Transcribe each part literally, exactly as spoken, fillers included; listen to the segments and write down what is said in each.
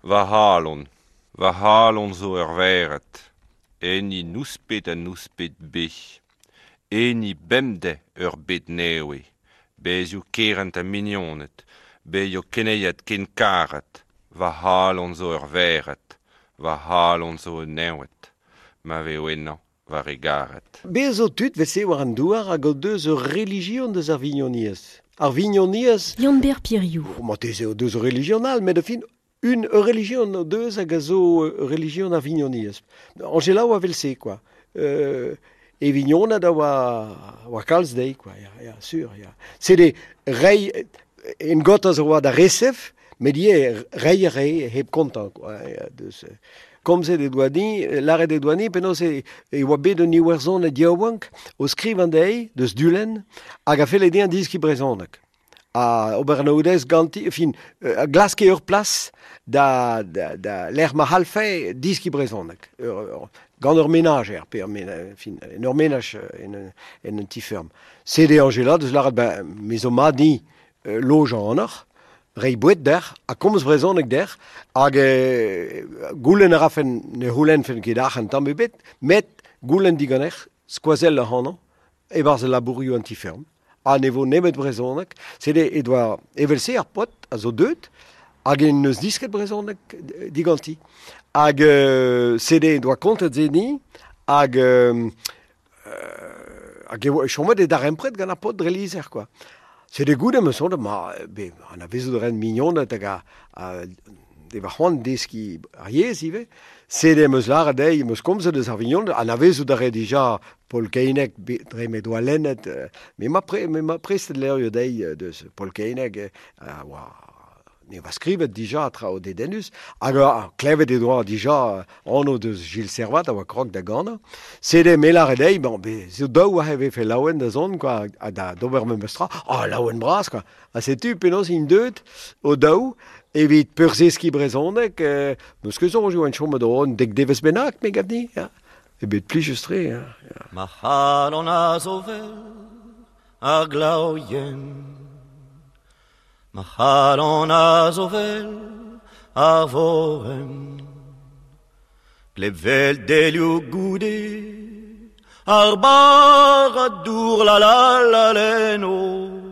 Va c'halon, va c'halon zo ur vered, enni nouspet ha nouspet be, enni bemdez ur bed nevez, bezioù kerent ha mignoned, bezioù keneiat ken karet, va c'halon zo ur vered, va c'halon zo un nevet, ma veo ennañ war e garet. Bez zo tud vese war an douar hag o deus ur relijion deus ar vignoniezh. Ar vignoniezh... Yann-Ber Piriou. Oh, marteze o deus ur relijion all, met fin un ur relijion o deus hag a zo ur relijion ar vignoniezh. Angela oa vel-se, quoi. Euh, e vignonad a oa, oa kalz dezhi, quoi, ya, ya, sur, ya. Sede rei, en got a zo oa da resef, met ivez rei a rei hep kontañ, quoi, ya, deus... Komzet e doa din, lâret e doa din, penaos e, e oa bet un Iwerzhonad yaouank o skrivañ dezhi, deus Dulenn, hag a felle dezhañ deskiñ brezhoneg. Ha ober anaoudez ganti, fin, a glaske ur plas da, da, da lec'h ma c'hallfe deskiñ brezhoneg. Ur, ur, gant ur menajer, pe ur mena, fin, en ur menaj en, en un ti-ferm. Sede Angela deus lâret, ben, me zo mat din lojañ anoc'h, rei boued dec'h, ha komz brezhoneg dec'h, hag e, goulenn a rafen, ne c'houlennfen ket arc'hant tamm ebet, met goulenn diganec'h, skoazell ac'hanon, e-barzh al labourioù an ti-ferm, ha ne vo nemet brezhoneg. Sede e doa evel-se ar paotr a zo deuet, hag en neus disket brezhoneg diganti. Hag euh, sede e doa kontet se din, hag euh, hag e oa chomet e darempred gant ar paotr dre lizher, quoi. Sede goude me sonde, ma, be, anavezout a ren mignoned hag a, a, de va c'hoant deskiñ ar yezh ivez. Sede em eus lâret dezhi, em eus komzet eus ar vignoned, anavezout a re dija Paul Keineg, be, dre me doa lennet, me ma pre, me ma prestet levrioù dezhi deus Paul Keineg, a oa, ne oa skrivet dija traoù dedennus, hag a klevet e doa dija anv deus Gilles Servat a oa krog da ganañ. Sede me lâret dezhi, bon, be, zo daou a vefe laouen da zont, quoi, ha da d'ober memes tra, ah, laouen bras, quoi. Ha setu penaos int deuet o daou evit peurzeskiñ brezhoneg, euh, meus ket soñj oan chomet o un dek devezh bennak, me gav din, ya. E bet plijus-tre, ya, ya. Ma c'halon a zo vel ar glav yen, ma c'halon a zo vel ar vorenn, gleb vel delioù goude, ar barrad dour la la la leno,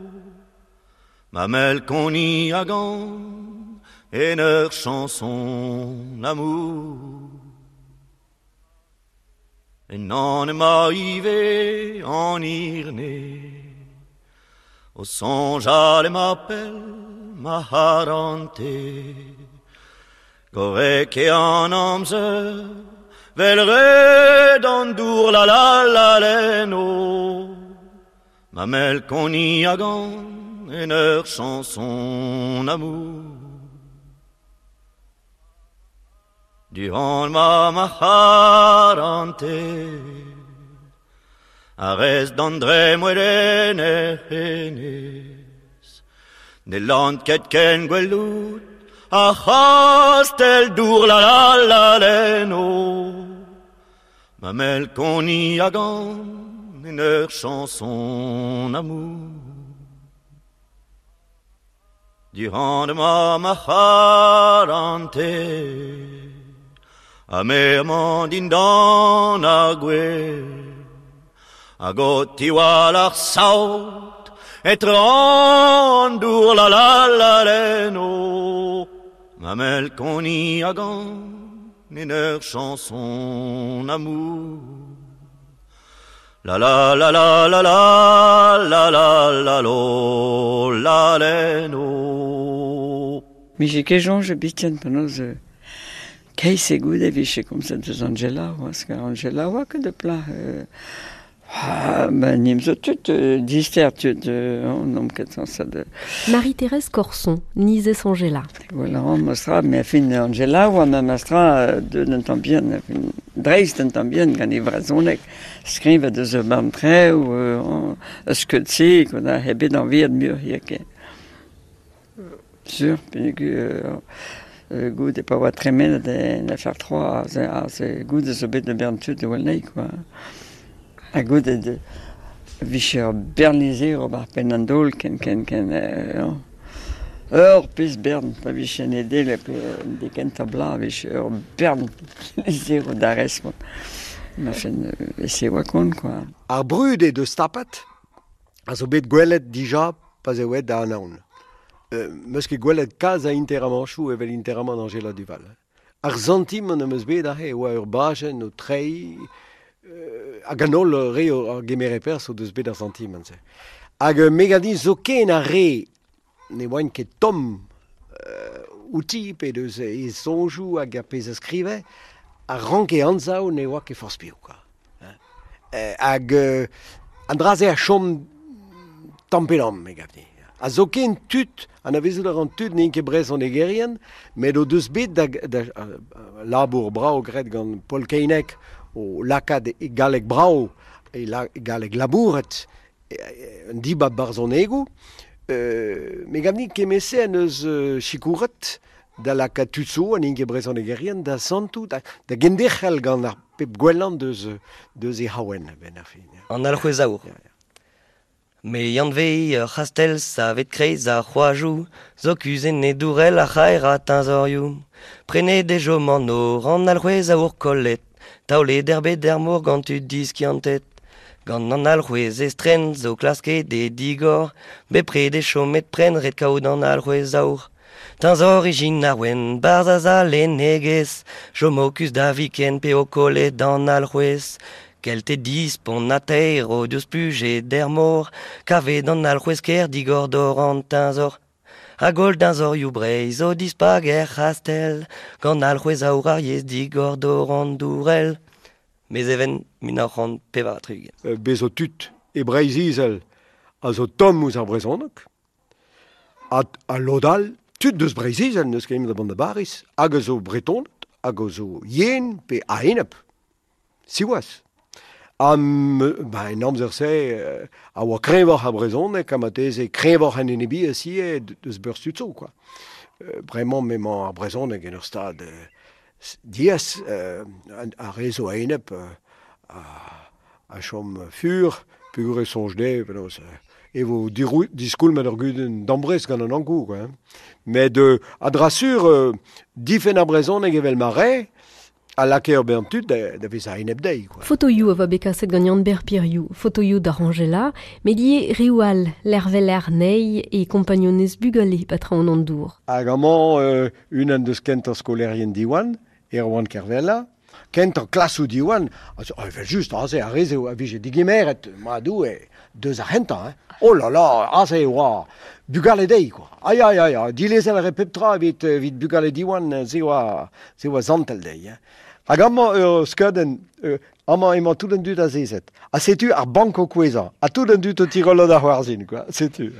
ma melkoni a gan en ur chanson amour. En an ema ivez an irne, o soñjal ema pell ma c'harante, gorrek eo an amzer, vel red an dour la la la leno, ma melkoni a gan en ur chanson amour. Durant ma ma c'harante, a rez d'André mwelen er henez, ne lant ket ken gwelout, ar c'hastell dour la la la leno, ma melkoni a gan en ur chanson amour. Durant ma ma c'harante, a me dindan ar gwez, hag o tiwall ar saout, etre an dour la la la leno, ma melkoni a gan en ur chanson amour. La la la la la la la la la lo la leno. Mije ket soñj biken penaos keiz e goude vije komzet deus Angela, oa, que Angela oa ket de plat. Euh, ah, ben, nim zo tud, euh, dister tud, euh, on ket sañset de... Marie-Thérèse Corson, nizez Angela. Voilà, on mostra, mais fin Angela oa ma mastra de un tamm bihan, fin dreist un tamm bihan gant e vrezhoneg, skrivet deus ur bern traoù, euh, eus skeud-se, quoi, da hebet anviet muioc'h hiziv. Sur, peogwir euh, goude pa oa tremenet en F R trois, a se goude zo bet de bern tud e oa quoi. Ha goude de vije ur bern lizher ober penn an daol ken ken ken euh, Ur pezh bern, pa vije en edele, pe de kentañ bloaz, vije ur bern lizheroù da respont. Ma fen, e se oa kont, quoi. Ar brud eo deus tapet, a zo bet gwelet dija pa 'z eo aet da anaon. Euh, 'meus ket gwelet kalz a interamanchoù evel interamant Anjela Duval. Ar santimant am eus bet aze e oa ur bajenn o treiñ, euh, hag an holl re o a gemere perzh o deus bet ar santimant-se. Hag euh, me gav din zoken ar re ne oant ket tomm euh, outi pe deus e soñjoù hag ar pezh a skrive, a ranke anzav ne oa ket forzh piv, quoi. Hein. Euh, hag euh, an dra-se a chom tamm pe damm, me gav din. A zoken tud, anavezout a ran tud n'int ket brezhonegerien, met o deus bet da, da, da labour brav graet gant Paul Keinec o lakaat e galleg brav, e, la, e galleg labouret, e, e, un dibab barzhonegoù, euh, me gav din kement-se en eus euh, sikouret da lakaat tud zo ha n'int ket brezhonegerien da santout, da, da genderc'hel gant ar pep gwellañ deus, deus e c'haouenn a-benn ar fin. An alc'hwez aour. Ya, ya. Me anvez ur c'hastell savet kreiz ar c'hoajoù, zo kuzhet e dourell ar c'haerañ teñzorioù. Prenet e chom an nor, an alc'hwez aour kollet, taolet er bed er mor gant tud diskiantet. Gant an alc'hwez estren zo klasket e digor, bepred e chomet prenn ret kaout an alc'hwez aour. Teñzor ijin ar wenn, barzhaz al lennegezh, chomo kuzh da viken p'eo kollet an alc'hwez. Kelted dispont ha taer o deus splujet er mor, kavet an alc'hwez ker digor dor an teñzor. Hag holl deñzorioù Breizh o dispak er c'hastell, gant alc'hwez aour ar yezh digor dor an dourell. Mezheven mil nav c'hant pevar ha tri-ugent. Euh, bez zo tud e Breizh-Izel a zo tomm ouzh ar brezhoneg, ha, ha lod all, tud deus Breizh-Izel n'eus ket da vont da Bariz, hag a zo Bretoned, hag a zo yen pe a-enep. Siwazh. Ha ba, en amzer-se euh, a oa kreñvoc'h ar brezhoneg ha marteze kreñvoc'h an enebiezh ivez deus berzh tud zo, quoi. Euh, bremañ m'emañ ar brezhoneg en ur stad euh, diaes, euh, ar re zo a-enep euh, a, a chom fur, peogwir e soñj dezhe, penaos, euh, e vo dirou, diskoulmet ur gudenn dambrest gant an Ankou, quoi, hein. Met euh, a dra sur, euh, difenn ar brezhoneg evel ma rae, a lakae ur bern tud da, da vezañ a-enep dezhi, quoi. Fotoioù a oa bet kaset gant Yann-Ber Piriou, fotoioù da Angela, met ivez reoù all, l'erveler nei e kompagnonez bugale ba traoñ an dour. Hag amañ euh, unan deus kentañ skolaerien Diwan, Erwan Kervella, kentañ klasoù Diwan, a zo, evel just, aze ar re-se a vije digemeret, ma Doue, deus ar c'hentañ, hein. Oh là là, aze e oa bugale dezhi, quoi. Ai, ai, ai, ai, dilezel a rae pep tra evit, evit bugale Diwan, se oa, se oa santel dezhi, hein. Hag amañ ur skeudenn, euh, amañ emañ tout an dud azezet. Ha setu ar bank o kouezhañ, ha tout an dud o tirollañ da c'hoarzhin, quoi. Setu.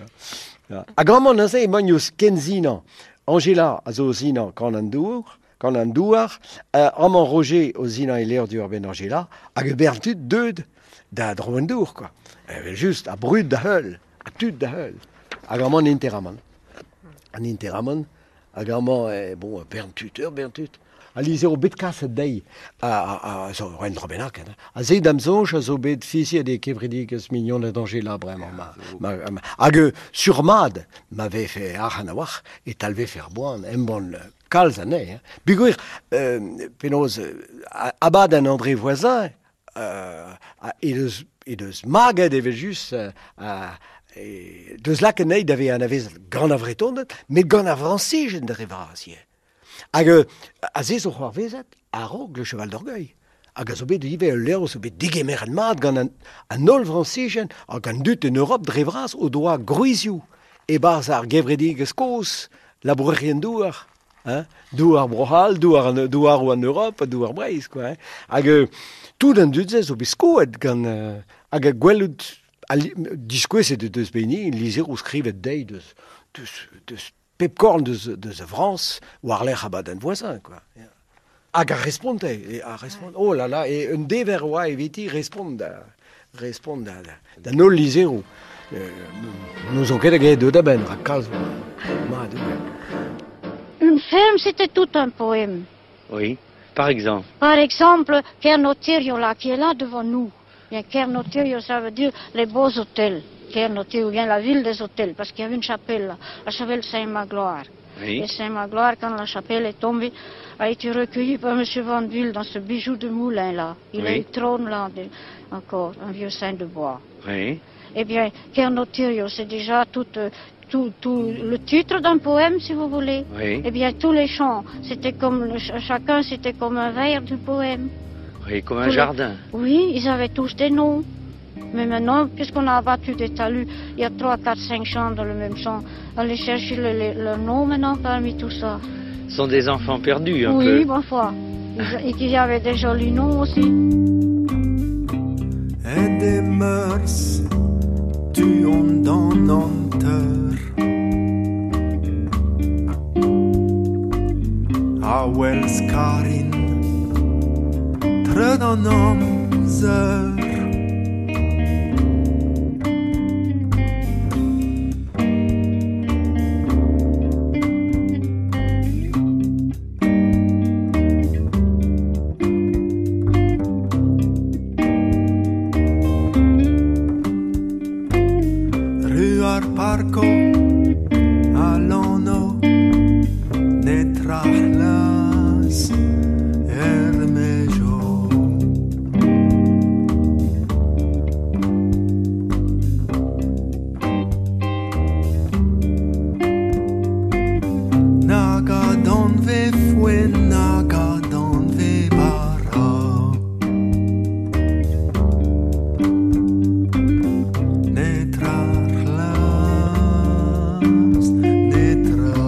Ya. Hag amañ neuze emañ o kensinañ. Angela a zo o sinañ Kan an dour, Kan an douar, euh, amañ Roger o sinañ e levr diwar-benn Angela, hag e bern tud deuet da Draoñ an Dour, quoi. Evel just, ha brud da heul, ha tud da heul. Hag amañ an interamant. An interamant, hag amañ, eh, bon, bern tud, ur bern tud. Al lizheroù bet kaset dezhi, a, a, a zo un dra bennak, hein. Ha se da'm soñj a zo bet fiziet e kevredigezh Mignoned Angela bremañ. Ma, ma, ma, hag euh, sur-mat, ma vefe arc'hant a-walc'h, e talvefe ar boan, embann kalz anezhe, hein. Peogwir, euh, penaos, euh, abadenn André Voisin, euh, he deus, he deus maget evel just, euh, a, e, deus lakaet anezhi da vezañ anavezet gant ar Vretoned, met gant ar Frañsizien dre vras ivez. Hag euh, a se zo c'hoarvezet a-raok Le Cheval d'Orgueil. Hag a zo bet ivez ul levr zo bet digemeret mat gant an, an holl Frañsizien hag an dud en Europe dre vras o doa gwrizioù e-barzh ar gevredigezh kozh, labourerien douar, hein, douar Bro-C'hall, douar an, douaroù an Europe, douar Breizh, quoi, hein. Hag euh, tout an dud-se zo bet skoet gant euh, hag a gwelout diskouezet deus beni lizheroù skrivet dezhi deus, deus, deus pep korn deus, deus a Frañs war-lerc'h abadenn Voisin, quoi. Ya. Hag a responte, e a respont, oh là là, e un dever oa eviti respont da, respont da, da, da holl lizheroù. Euh, n'ouzon ket hag eo deuet a-benn, rak kalz oa. Ma Doue. Une ferme, c'était tout un poème. Oui, par exemple. Par exemple, Kernotirio, là, qui est là devant nous. Bien, Kernotirio, ça veut dire les beaux hôtels. Kernotirio, ou bien la ville des hôtels, parce qu'il y avait une chapelle là, la chapelle Saint-Magloire. Oui. Et Saint-Magloire, quand la chapelle est tombée, a été recueillie par M. Van Bulle dans ce bijou de moulin là. Il Oui. a une trône là, de- encore, un vieux saint de bois. Oui. Eh bien, Kernotirio, c'est déjà tout, euh, tout, tout le titre d'un poème, si vous voulez. Oui. Eh bien, tous les chants, c'était comme, le- chacun, c'était comme un vers du poème. Oui, comme un Tous les- jardin. Oui, ils avaient tous des noms. Mais maintenant, puisqu'on a abattu des talus, il y a trois, quatre, cinq champs dans le même champ. Allez chercher le, le- leur nom maintenant parmi tout ça. Ce sont des enfants perdus un oui, peu. ma foi. Ils- Et qu'il y avait des jolis noms aussi. Et des mœurs tu ont dans hanteur A Wells Karin Treud an amzer Ru ar parko a l'anno netra c'hlas er mejo. Nag a danve foen, nag a danve bara. Netra c'hlas, netra.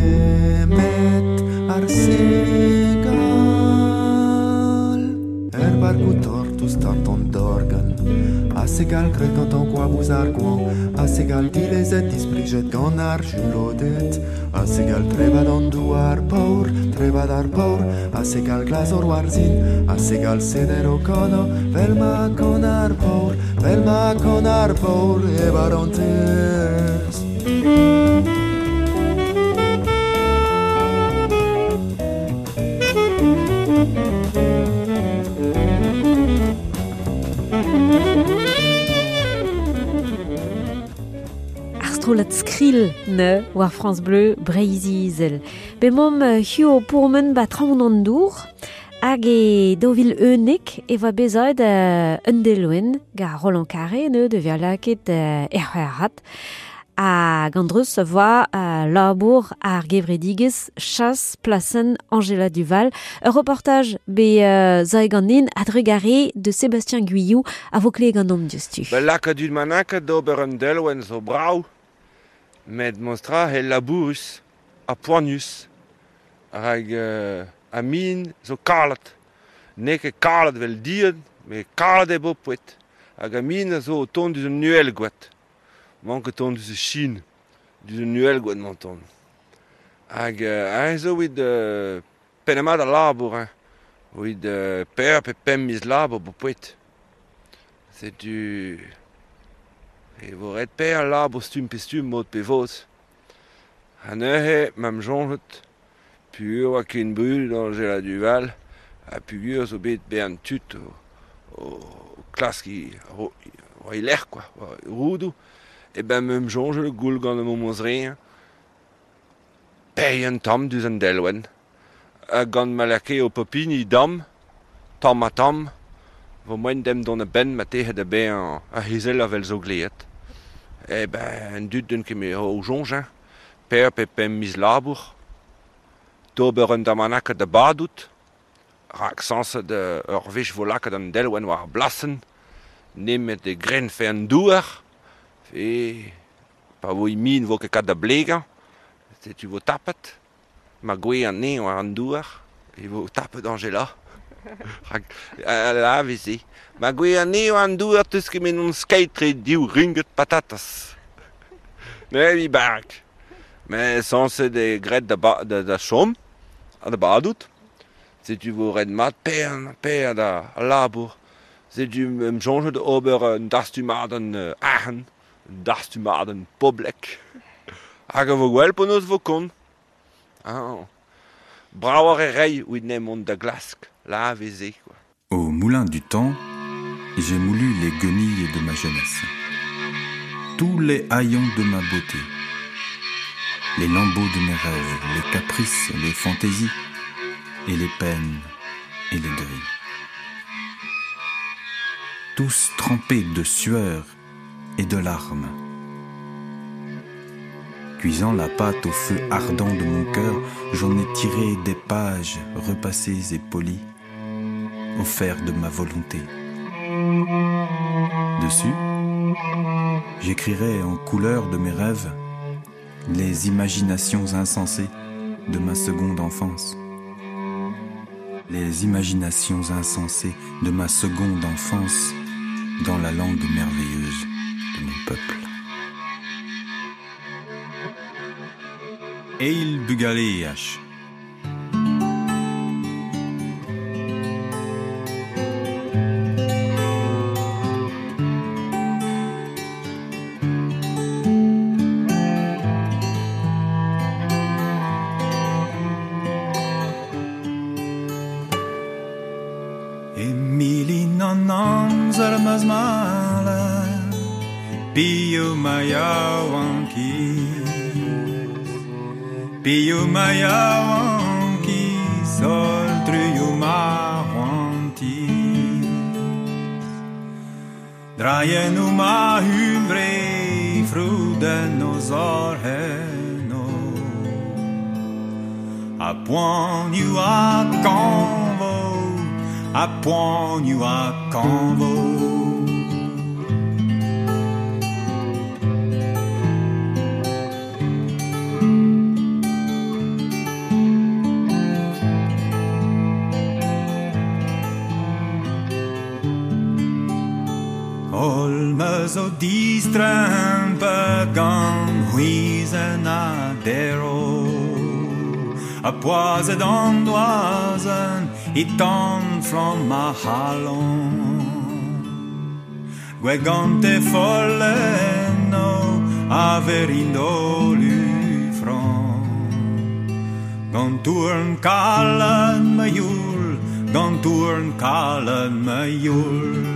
Nemet ar segal Er barkou tortus tart an dorgan A segal gret gant an koabouz ar gwan A segal dilezet displijet gant ar julodet A segal trevad an douar paour Trevad ar paour A segal glazor war zin A segal seder o kano Vel ma kan ar paour Vel ma kan ar paour E barantez Ar strollad skrill ne war France Bleu Breizh-Izel. Be mom hio pourmen ba traoñ an dour hag e daou vil unnek e voa bezaet euh, un deloen ga Roland Carré ne de ver laket euh, er c'hwec'hat. Hag andreus voa euh, labour ar gevredigez chas plasen Angela Duval. Ur reportage be euh, zae ganin adrugare de Sébastien Guyou a vo kle gant om diouzhtu. Ba laka dud manaka d'ober un delwenn zo brav, met monstra he labourus ha poanius. Hag euh, a min zo kalet. N'eo ket kalet vel dien, met kalet eo bopet. Hag a min a zo o tont deus un uhelgoad. Mank o tont deus e Chine, deus un uhelgoad m'an tont. Hag euh, ein zo evit euh, pennamat a labour, hein. Evit euh, per pe pemp miz labour bopet. Setu... E vo ret per labour stumm pe stumm mod pe vod. Ha neuze, m'am soñjet, pugur oa ken brud Angela Duval, ha pugur zo bet bern tud o, o, o klask i, ro, war i lec'h, quoi, war i roudoù. E ben m'am soñjet goul gant am omz re, pei un tamm deus an delwenn. Ha gant ma lakae o popini damm, tamm ha tamm, vo moen dem dont a benn ma tehe da bezañ a hezel avel zo gleet. E ben, an dud d'un ket me o soñj, hein. Per pe pemp miz labour. D'ober un damanaka da badout. Rak sañset euh, ur wech vo lakaet an delwenn war ar blasenn. Nemet e grenfe an douar. Fe pa vo i min vo ket kat da blegañ. Setu vo tapet. Ma gwe an ne war an douar. E vo tapet Angela. Rak a la veze. Ma gwe an ne war an douar teus ket men on skeit tre div ringet patatas. Ne vi bark. Mais sañset e gret da, ba, da, da chom. Ha da badout. Setu vo red mat pern, per da a labour. Setu em soñjet ober un dastumadenn uh, arc'hant, un dastumadenn poblek. Hag a vo gwell penaos vo kont. Ah. Brav ar e rei evit n'em da glask, la veze, quoi. Au moulin du temps, j'ai moulu les guenilles de ma jeunesse. Tous les haillons de ma beauté. Les lambeaux de mes rêves, les caprices, les fantaisies, et les peines et les deuils. Tous trempés de sueur et de larmes. Cuisant la pâte au feu ardent de mon cœur, j'en ai tiré des pages repassées et polies, au fer de ma volonté. Dessus, j'écrirai en couleur de mes rêves les imaginations insensées de ma seconde enfance. Les imaginations insensées de ma seconde enfance dans la langue merveilleuse de mon peuple. Eil bugaleaj. Emilin an amzer ma'z mala, Pio ma yaouankiz, Pio ma yaouankiz, Sol truio ma c'hoantiz. Draien o ma hunvre, frouden o zorheno, A poanioù a kanvo, a poanioù a kanvo. Ol me zo distrempet gant c'hwizenn a dero, A poazet an doazen e tan flamm ma c'halon. Gwell gante follenno a verindo lufran. Gant tourn kalen ma youl, gant tourn kalen ma youl.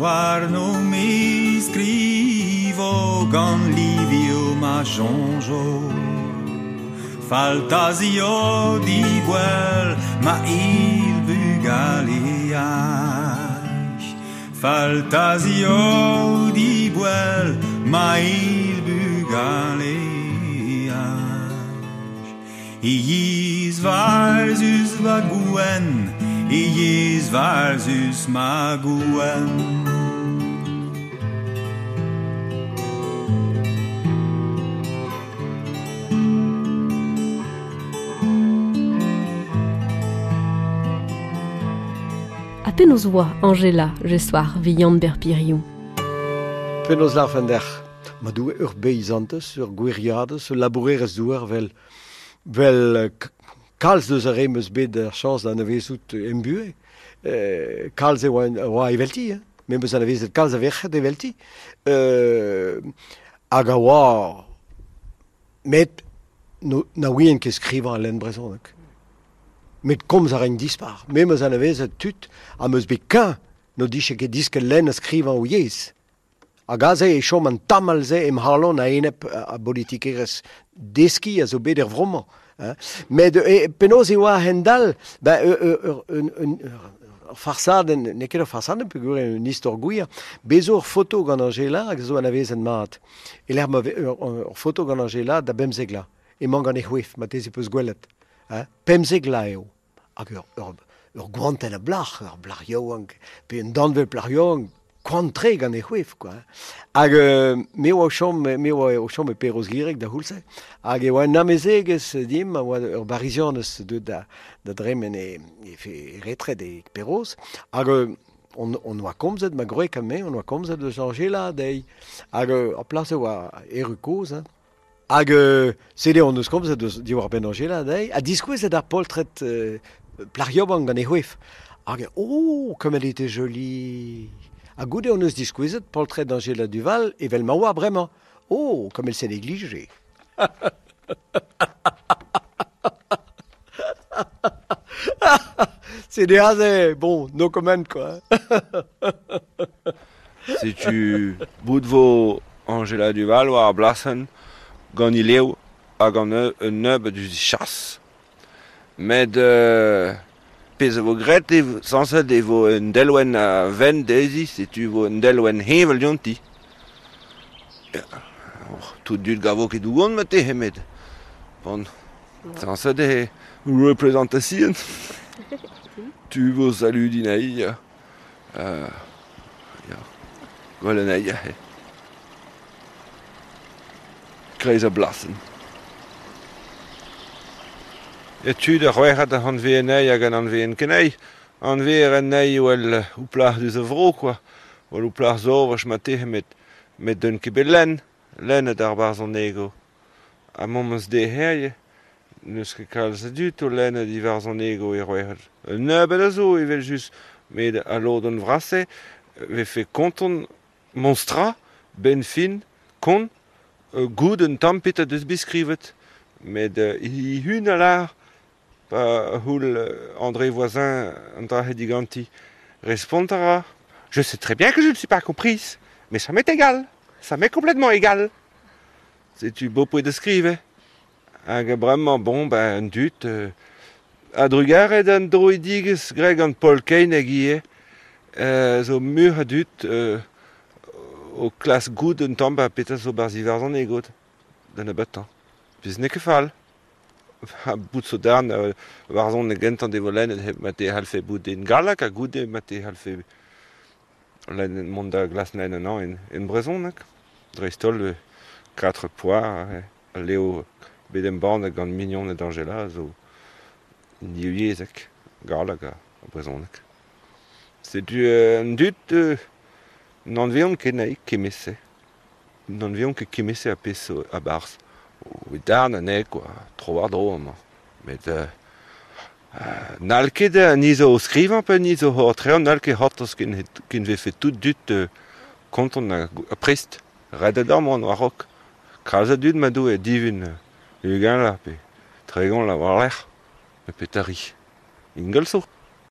War no me scrivo gant livio ma jonjo, Faltasio di gwell ma il bugaleaj. Faltasio di gwell ma il bugaleaj. Iz varzus va gouenn, Iz varzus ma gouenn. A penaos oa Angela, je soir, vi Yann Berpiriou. Penaos lar fan der. Ma doue ur beizantez, ur gwiriadez, ur labourerez douar vel, vel kalz deus ar re meus bet ar chañs da anavezout em buhe. Euh, kalz e oa, oa evelti, hein. Me meus anavezet kalz a verc'hed evelti. Euh, hag a oa met no, na ouien ket skrivañ al lenn brezhoneg. Met komz a rein dispar. Me meus anavezet tud ha meus bet keñ no dije ket disket lenn a skrivañ o yezh. Hag aze e chom an tamal-se em c'halon a enep a politikerez deski a zo bet er vromañ. Hein. Met e, penaos e oa a-hend-all, ben, ur, ur, un, un, ur farsadenn, n'eo ket ur farsadenn peogwir eo un istor gwir, bez zo ur foto gant Angela hag zo anavezet mat. E lec'h ma ve ur, ur foto gant Angela da bemzek la. Emañ gant e c'hwef, ma teze peus gwelet. Hein. Pemzek la eo. Hag ur, ur, ur goantenn a blac'h, ur blac'h yaouank, pe un danvel blac'h yaouank, Koant-tre gant e c'hwef, quoi. Hag euh, me oa o chom, me oa o chom e Perroz-Gireg da c'houlz-se. Hag e oa un amezegez dimp, a oa ur barizianez deuet da, da dremen e, e, e retred e Perroz. Hag euh, on, on oa komzet, ma gwreg ha me, on oa komzet deus Angela dezhi. Hag euh, ar plas e oa erru kozh, hein. Hag euh, sede on eus komzet deus diwar-benn Angela dezhi, ha diskouezet ar poltred euh, plac'h yaouank gant e c'hwef. Hag oh, comme elle était jolie. Ha goude on eus diskouezet poltred Angela Duval evel ma oa bremañ. Oh, comme elle s'est négligée. C'est aze, bon, no comment, quoi. Setu bout vo Angela Duval war ar blasenn gant he lev hag an un nebeud eus chas. Met euh, pezh a vo graet e sañset e vo un delwenn a vent dezhi, setu vo un delwenn heñvel dionti. Tout dud gavo ket dougon ma te met. Bon, sañset e représentation. Tu vo saludin aï. Euh, ya. Gwell an aï. Kreiz a blasen. E tud ar c'hwec'hat an anveen hag an anveen kenei. Anveer an ei wel ou plac'h deus a vro, quoi. Wel ou plac'h zo, vach ma te met, met d'un ket bet lenn. Lenn et ar barz an ego. Ha moments de herje, n'eus ket kalz a dud o lenn et ivarz an ego e c'hwec'hat. Un nebeud a zo evel just, met a lod an vrase, vefe konton monstra, ben fin, kon, euh, goud un tamm pet a deus beskrivet. Met euh, hi hun a lar, pa houl André Voisin an dra diganti respont a ra. Je sais très bien que je ne suis pas comprise, mais ça m'est égal. Ça m'est complètement égal. Setu beau poe de skrive. Hag bremañ bon, ben, un dut, euh, a drugaret an droidigez greg an Paul Kane hag ivez, euh, zo mur a dut euh, o klas goud un tamm ba petra zo barz ivarzan egot, da nebeutañ. Pezh n'eo ket fall. Ha bout zo darn euh, warzon e gentan de vo lennet hep ma te halfe bout en gallek ha goude ma te halfe lennet mont da glas lenn an en, en brezhoneg. Dreist-holl euh, quatre poar, eh, leo bet embann gant mignon et Angela zo divyezhek, gallek ha brezhoneg. Setu euh, un dut euh, n'anveont ket naik kemese. N'anveont ket kemese a pezh a barz. O darn anezhe, quoi, tro war dro amañ. Met euh, euh, n'hall ket an izo o skrivañ pe an izo o trean, n'hall ket c'hortoz ken, ken vefe tout dut euh, konton a, a prest. Ret a mont war-raok. Kalz a dud ma do e divun ugent la pe tregont la war-lerc'h. Me petari. Ingal zo.